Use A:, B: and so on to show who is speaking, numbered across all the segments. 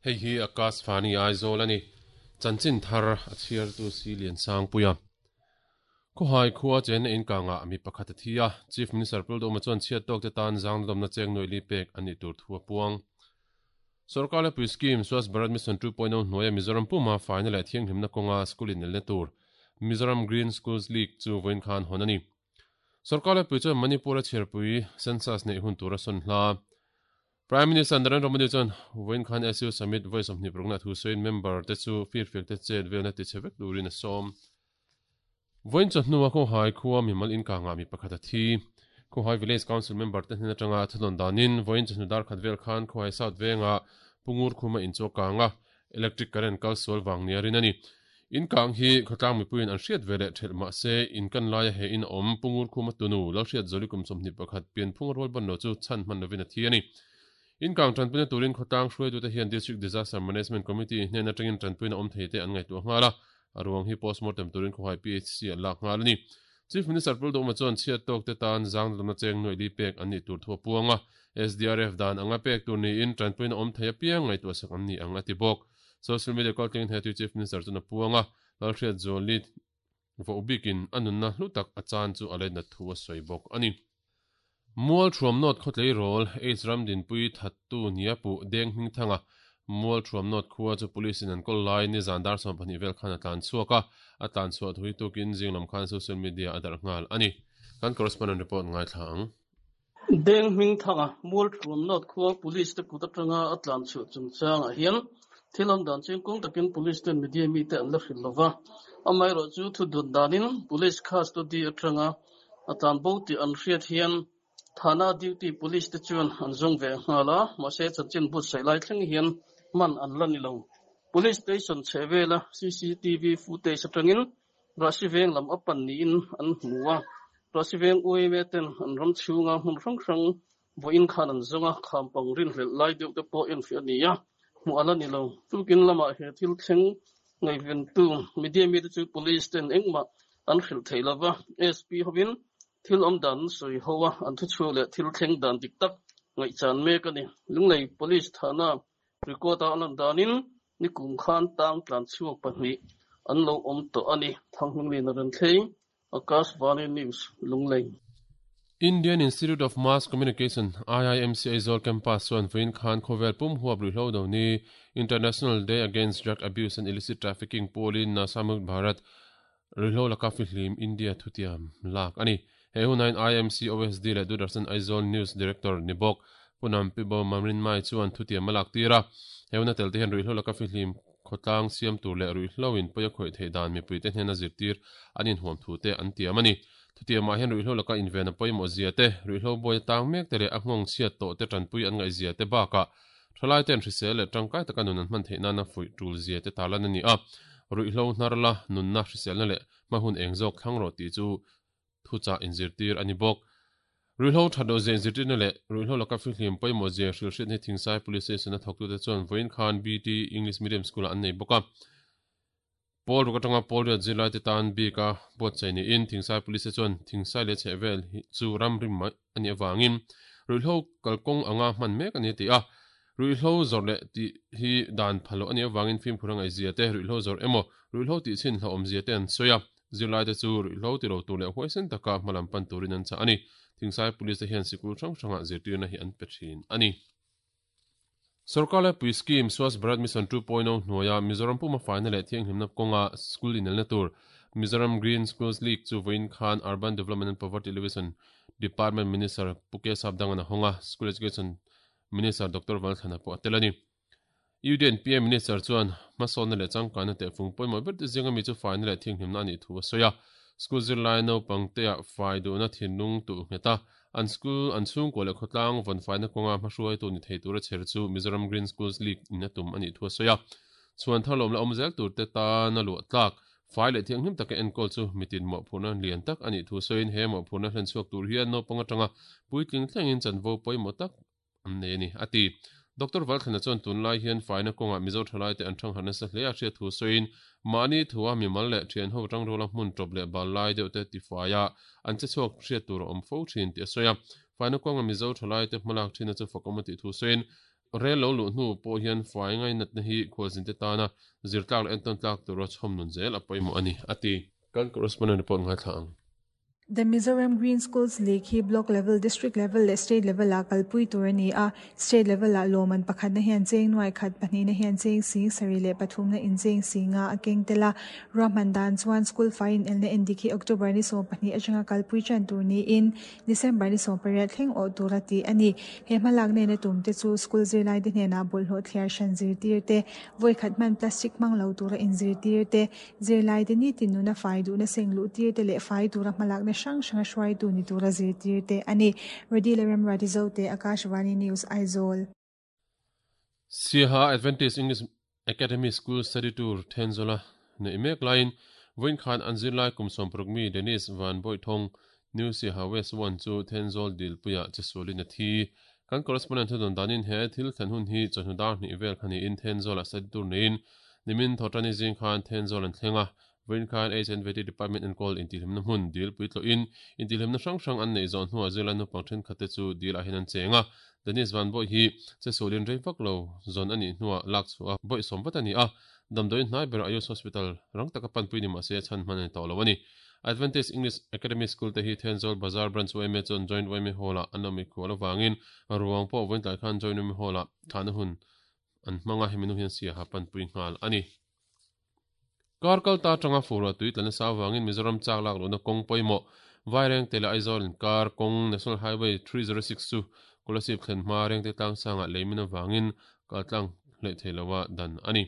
A: Hei hi Akashvani Aizawl a ni. Chanchin thar a chhiartu si Liansangpuia. Khawhai khua chenna in kangah mi pakhat a thi a, Chief Minister Pulduhma chuan chhiat tawkte tan zangdawmna cheng nuai li pek a nih tur thu a puang. Sorkar lepui scheme Swachh Bharat Mission 2.0 hnuaia Mizoram puma faina leh thianghlimna kawnga school inelna tur Mizoram Green Schools League chu vawiin khan hawn a ni. Sorkar lepui chuan Manipur-a chhiarpui census neih hun tur a sawn hla. Prime Minister Narendra Modi chuan vawiin khan SU Summit vawi 26 na thu sawiin member te chu firfiak te chet velna tichhe vek turin a sawm. Vawiin chawhnu a Khawhai khua mimal inkangah mi pakhat a thi. Khawhai Village Council member te hnen atanga thunawn danin vawiin chawhnu dar khat vel khan Khawhai South vengah Pu Ngur Khuma inchaw kang a, electric current kal sual vang nia rin a ni. Inkang hi khawtlang mipuiin an hriat ve leh thelh mah se inkan laia he in a awm Pu Ngur Khuma tunu Lalhriat Zawli kum 21 pianphung a rual ban lo chu chhan hman lovin a thi a ni. Inkang tanpuina turin khawtlang hruaitute hian District Disaster Management Committee hnen atangin tanpuina awm theite an ngaihtuah nghal a, A ruang hi postmortem turin khawhai PHC an lak nghal a ni. Chief Minister Pul Dawma chuan chhiat tawkte tan zangdawmna cheng nuaih li pek an nih tur thu a puang a, SDRF dan anga pek tur niin tanpuina awm thei apiang ngaihtuahsak an ni ang a ti bawk. Social media kaltlingin he tui Chief Minister chuan a puang a, Lalhriat Zuali voh bikin a nunna hlu tak a chan chu a letnat thu a sawi bawk a ni. Mualthuam North khawtleirawl Aids ram dinpui thattu nia puh Deng Hmingthanga Mualthuam North khua chu Police in an kawl lai nizan dar 12 vel khan a tlan chhuak a, a tlan chhuah thui tukin zing lam khan social media a darh nghal a ni. Kan correspondent report ngaithla ang.
B: Deng Hmingthanga Mualthuam North khua Police te kut atanga a tlan chhuah chungchangah hian thil awm dan chingkung takin Police ten media mite an la hrilh lova, amaherawhchu thu dun danin Police custody atanga A tlan bo tih an hriat hian Thana duty police te chuan an zawng ve nghal a, mahse chanchin buatsaih lai thleng hian hman an la ni lo. Police station chheh vela cctv footage atangin Rahsi veng lam a pan niin an hmu a, Rahsi veng UIMA ten an ram chhunga hmun hrang hrang vawiin khan an zawng a, khampang rinhlelh lai deuh te pawh enfiah a ni a, hmuh a la ni lo. Tukin lamah he thil thleng ngaihventu media mite chu police ten engmah an hrilh thei lo va, SP hovin thil awm dan an sawi ho a, an thuchhuak leh thil thleng dan dik tak ngaihchan mek a ni. Lunglei Police thahna record-a a lan danin nikum khan tang tlan chhuak pahnih an lo awm tawh a ni. Thanghmunglina Renthlei, Akashvani News, Lunglei.
A: Indian Institute of Mass Communication, IIMC, Aizawl Campus chuan vawiin khan khawvel pum huap ruihhlo do ni International Day Against Drug Abuse and Illicit Trafficking pawlin Nasha Mukt Bharat Ruihhlo laka fihlim India thutiam lak a ni. He hunain IMC OSD leh Doordarshan Aizawl News Director ni bawk Pu Nampibo Mamrinmai chuan thutiam a lak tir a. He huna tel te hian ruihhlo laka fihlim khawtlang siam tur leh ruihhlo in pawi a khawih theih dan mipuite hnena zirtir an inhuam thu te an tiam a ni. Thutiamah hian ruihhlo laka inven a pawimawh zia te, ruihhlo buai a tang mek te leh a nghawng chhiat tawh te tanpui an ngaih zia te bakah Thalai ten hrisel leh tangkai taka nun an hman theih nana fuih tul zia te tarlan a ni a, ruihhlo hnar la, nunna hriselna leh hma hun eng zawk thlang rawh tih chu thuchah inzirtir a ni bawk. Ruihhlo that loh zia inzirtirna leh ruihhlo laka fihlim pawimawh zia hrilhhriatna hi Thingsai Police Station a thawktute chuan vawiin khan BT English Medium School-ah an nei bawk a. Pawl ruk atanga pawl riat zirlaite tan bik a buatsaih niin Thingsai Police te chuan Thingsai leh chhehvel hi chu ram rim mai a nih avangin ruihhlo kalkawng anga hman mek a ni a ti a. Ruihhlo zawrh leh tih hi dan pha loh a nih avangin fimkhur a ngaihzia te, ruihhlo zawrh emaw ruihhlo tih chhin hlauhawmzia te an sawi a. Zirlaite chu ruihhlo ti lo tur leh huaisen taka hmalam pan turin an chah a ni. Thingsai Police te hian sikul hrang hrangah zirtirna hi an pe thin a ni. Sorkar Laipui Scheme Swachh Bharat Mission 2.0 hnuaia Mizoram puma faina leh thianghlimna kawnga school inelna tur Mizoram Green Schools League chu vawiin khan Urban Development and Poverty Alleviation Department Minister Pu K Sapdangan a hawng a, School Education Minister Doctor Valthlana pawh a tel a ni. UDNPA Minister chuan hmasawnna leh changkanna tehfung pawimawh ber te zinga mi chu faina leh thianghlimna a nih thu a sawi a. School zirlai naupangtea fai duhna thinlung tuh nghet a, An school, an chhungkua leh khawtlang vawnfaina kawnga hmahruaitu ni thei tura chher chu Mizoram Green Schools League in a tum a nih thu a sawi a. Chhuan thar lawm la awm zel tur te tana luah tlak, fai leh thianghlim taka enkawl chu mitin mawhphurhna lian tak a nih thu sawiin he mawhphurhna hlen chhuak tur hian naupang atanga puitling thlengin chanvo pawimawh tak an nei a ni, a ti. Doctor Valthlana chuan tunlai hian faina kawngah Mizo thalaite an thangharh nasa hle a hriat thu sawiin mahni thua mimal leh thianho tangruala hmun tawp leh bal lai deuh te tifaia an che chhuak hriat tur a awm fo thin tih a sawi a. Faina kawnga Mizo thalaite hmalak thinna chu fakawm a tih thu sawiin. Rel lo luh hnu pawh hian fai ngainatna hi khualzinte tana zirtlak leh entawn tlak tura chhawm nun zel a pawimawh a ni, a ti. Kan correspondent report ngaithla ang.
C: The Mizoram Green Schools League hi Block level, District level leh State level ah kalpui tur a ni a. State level ah lawmman pakhatna hian cheng nuai khat, pahnihna hian cheng sing sarih leh pathumna in cheng singa a keng tel a. Ruahman dan chuan School fai inelna endik hi October ni 12 atanga kalpui tan tur niin December ni 18 thleng awh tura tih a ni. He hmalak nena tum te chu school zirlaite hnenah bawlhhlawh thliar hran zirtir te, vawikhat hman plastic hmang lo tura inzirtir te, Zirlaite nitin nuna fai duhna seng luh tir te leh fai tura hmalakna hrang hranga hruaitu ni tura zirtir te a ni. Redi leh Remruati Zote, Akashvani News, Aizawl.
A: Siaha Adventist English Academy School Study Tour Thenzawla neih mek laiin vawiin khan an zirlai kum 60 mi Dennis Van Bawihthawng, New Siaha West One chu Thenzawl dilpuiah chesualin a thi. Kan correspondent thu dawn danin he thil thlen hun hi chawhnu dar hnih vel kha niin Thenzawlah study tour neiin nimin Thawhṭani zing khan Thenzawl an thleng a, vawiin khan HNVT Department enkawl intihhlimna hmun dil puitlawhin intihhlimna hrang hrang an neih zawh hnuah zirlai naupang thenkhat te chu dil ah hian an cheng a, Dennis Vanbawih hi chesualin rei vak lo zawn a nih hnuah lak chhuah a bawih sawm vat a ni a, damdawiin hnai ber Ayush Hospital rang taka panpui ni mahse chhan hman a ni tawh lo a ni. Adventist English Academy School te hi Thenzawl Bazar Branch yma chuan Joint yma Hall-ah an awm ikhual avangin ruang pawh vawiin tlai khan Joint yma Hall-ah thlahna hun an hmang a, hemi nu hian siaha panpui nghal a ni. Kar kal ta atanga fur ah tui tla nasa avangin Mizoram chak lak lohna kawng pawimawh Vairengte leh Aizawl inkar kawng National Highway 306 chu Kolasib thlen hma Rengte tlangsangah leimin avangin kaltlang hleih thei loa dan a ni.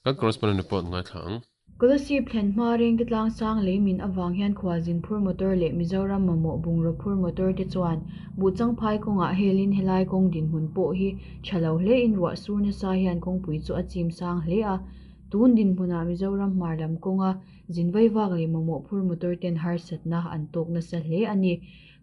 A: Kan correspondent report ngaithla ang.
D: Kolasib thlen hma rengte tlangsang lei min avang hian khualzin phur motor leh Mizoram mamawh bungraw phur motor te chuan Buhchangphai kawngah helin helai kawng dinhmun pawh hi tha lo hlein ruah sur nasa hian kawngpui chu a chim sang hle a. Tun dinhmunah Mizoram hmar lam kawnga zin vaivak leh mamawh phur motor ten harsatna an tawk nasa hle a ni.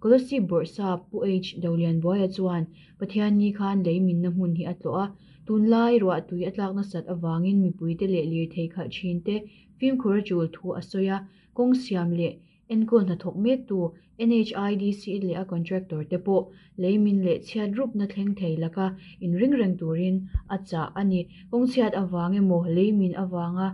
D: Kolasib bawrhsa Pu H. Dolianbuaia chuan Pathianni khan lei minna hmun hi a tlawh a. Tunlai ruahtui a tlak nasat avangin mipuite leh lirthei khalh thinte fimkhur a tul thu a sawi a, kawng siam leh enkawl hnathawk mektu NHIDC leh a contractor te pawh leimin leh chhiat rupna thleng thei laka inring reng turin a chah a ni. Kawng chhiat avang emaw leimin avanga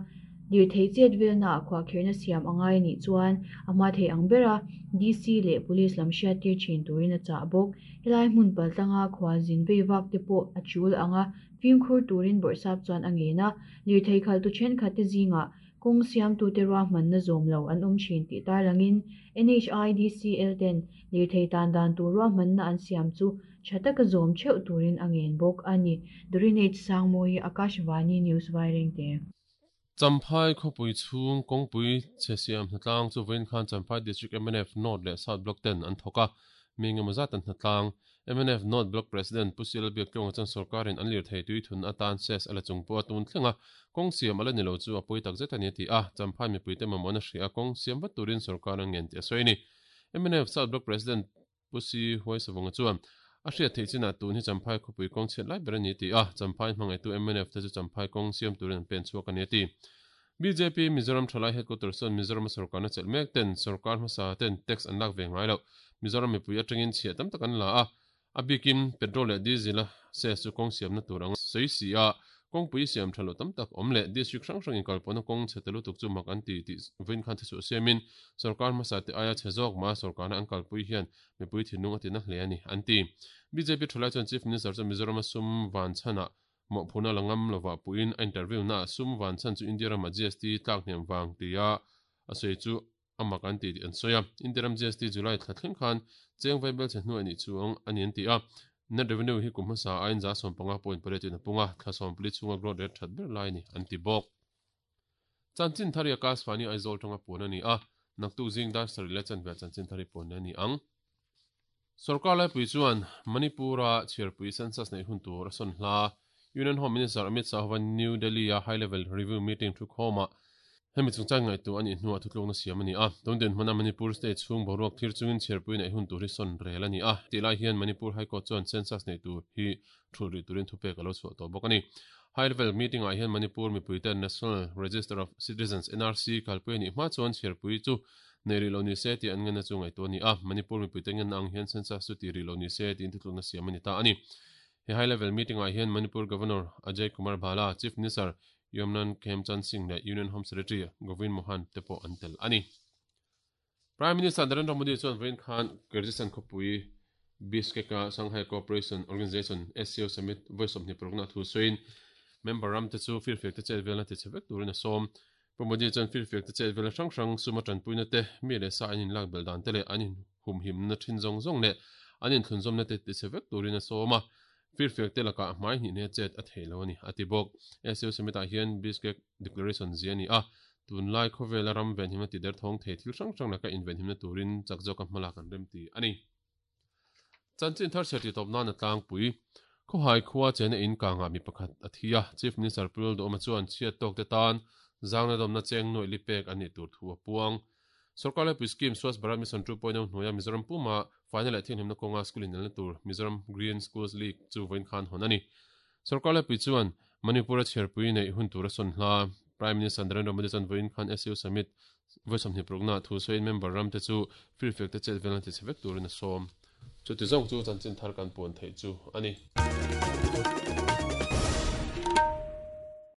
D: lirthei chet velnaah khuahkhirhna siam a ngai anih chuan a hma thei ang bera DC leh Police lam hriattir thin turin a chah bawk. Helai hmun paltlanga khualzin vei vak te pawh a tul ang a, fimkhur turin bawrhsap chuan a ngen a, lirthei khalhtu thenkhat te zingah kawng siamtute ruahmanna zawm lo an awm thin tih tarlangin NHIDCL ten lirthei tan dan tur ruahmanna an siam chu tha taka zawm theuh turin a ngen bawk a ni. Dorinate Sangmawi, Akashvani News Vairengte.
A: Champhai khawpui chhung kawngpui chhe siam hnatlang chu vawiin khan Champhai District mnf North leh South Block ten an thawk a, mi engemaw zat an hnatlang. Mnf North Block President Pu Sila Biaktlunga chuan sorkarin an lirthei tui thun atan ses a la chung pawh a tun thleng a, kawng siam a la ni lo chu a pawi tak zet a ni a ti a, Champhai mipuite mamawhna hria a kawng siam vat turin sorkar an ngen tih a sawi a ni. Mnf South Block President Pu Si Huaisavunga chuan, A hriat theih chinah tun hi Champhai khawpui kawng chhiat lai ber a ni tih a, Champhai hmangaitu mnf te chu Champhai kawng siam turin an pen chhuak a ni a ti. Bjp Mizoram Thalai Headquarters chuan Mizorama sorkarna chelh mek ten sorkar hmasa ten tax an lak ve ngai loh. Mizoram mipui atangin chhiah tam tak an la a, a bikin petrol leh diesel a ses chu kawng siamna tur anga sawi si a, Kawngpui siam tha lo tam tak awm leh district hrang hrangin kalpawhna kawng chhe ta lutuk chu mak an ti tih vawiin khan thisuah siamin sorkar hmasa te aia chhe zawk mah sorkarna an kalpui hian mipui thinlung a tina hle a ni, an ti. Bjp thalai chuan Chief Minister chuan Mizorama sum van chhanah mawhphurhna la ngam lovah puhin a interview naah sum van chhan chu India ramah GST tlak hniam vang tia a sawi chu a mak an ti tih an sawi a. India ram GST July thla thleng khan cheng vaibel chhe hnuai nih chuang a ni an ti a. Net revenue hi kum hmasa aiin 15.8 in a pung a, thla 14 chhunga growth rate that ber lai a ni an ti bawk. Chanchin thar hi Akashvani Aizawl tanga puan a ni a, naktuk zing dar sarih leh chanve chanchin thar hi puan a ni ang. Sorkar laipui chuan Manipur-a chhiarpui census neih hun tur a sawn hla. Union Home Minister Amit Shah hova New Delhi-a High Level Review Meeting thukhawmah hemi chungchang ngaihtuah a nih hnuah thutlukna siam a ni a. Tun dinhmuna Manipur state chhung boruak thlir chungin chhiarpui neih hun tur hi sawn rel a ni a. Tih lai hian Manipur High Court chuan census neih tur hi thulh rih turin thupek a lo chhuah tawh bawk a ni. High Level Meeting-ah hian Manipur mipuiten National Register of Citizens, NRC, kalpui a nih hma chuan chhiarpui chu Nei rih lo ni se tih an ngenna chu ngaihtuah a ni a, Manipur mipuite ngenna ang hian census chu ti rih lo ni se tiin thutlukna siam a ni ta a ni. He high level meeting ah hian Manipur Governor Ajay Kumar Bhalla, Chief Minister Yumnam Khemchand Singh leh Union Home Secretary Govind Mohan te pawh an tel a ni. Prime Minister Narendra Modi chuan vawiin khan Kyrgyzstan khawpui Bishkek-a Shanghai Cooperation Organization, SCO, Summit vawi 26 a thu sawiin member ramte chu firfiak te chet velna tichhe vek turin a sawm. Pu Modi chuan firfiak te chet velna hrang hrang suma tanpuina te, mi leh sa an inlak belh dan te leh an inhumhimna thin zawng zawng leh an inthlunzawmna te tichhe vek turin a sawm a. Firfiak te lakah hmai hnih hne chet a thei lo a ni, a ti bawk. SCO Summit-ah hian Bishkek Declaration zia a ni a, tunlai khawvela ram venhimna ti derthawng thei thil hrang hrang laka invenhimna turin chak zawka hmalak an rem ti a ni. Chanchin thar chhiar titawp nan a tlangpui. Khawhai khua chena in kangah mi pakhat a thi a, Chief Minister Pu Lalduhawma chuan chhiat tawkte tan zangna dawmna cheng nuaih li pek an nih tur thu a puang. Sorkar Laipui Scheme Swachh Bharat Mission 2.0 hnuaia Mizoram puma faina leh thianghlimna kawnga school inelna tur Mizoram Green Schools League chu vawiin khan hawn a ni. Sorkar Laipui chuan Manipur-a chhiarpui neih hun tur a sawn hla. Prime Minister Narendra Modi chuan vawiin khan SU Summit vawi 26 thu sawiin member ramte chu firfiakte chet velna tichhe vek turin a sawm. Chuti zawng chu chanchin thar kan puan theih chu a ni.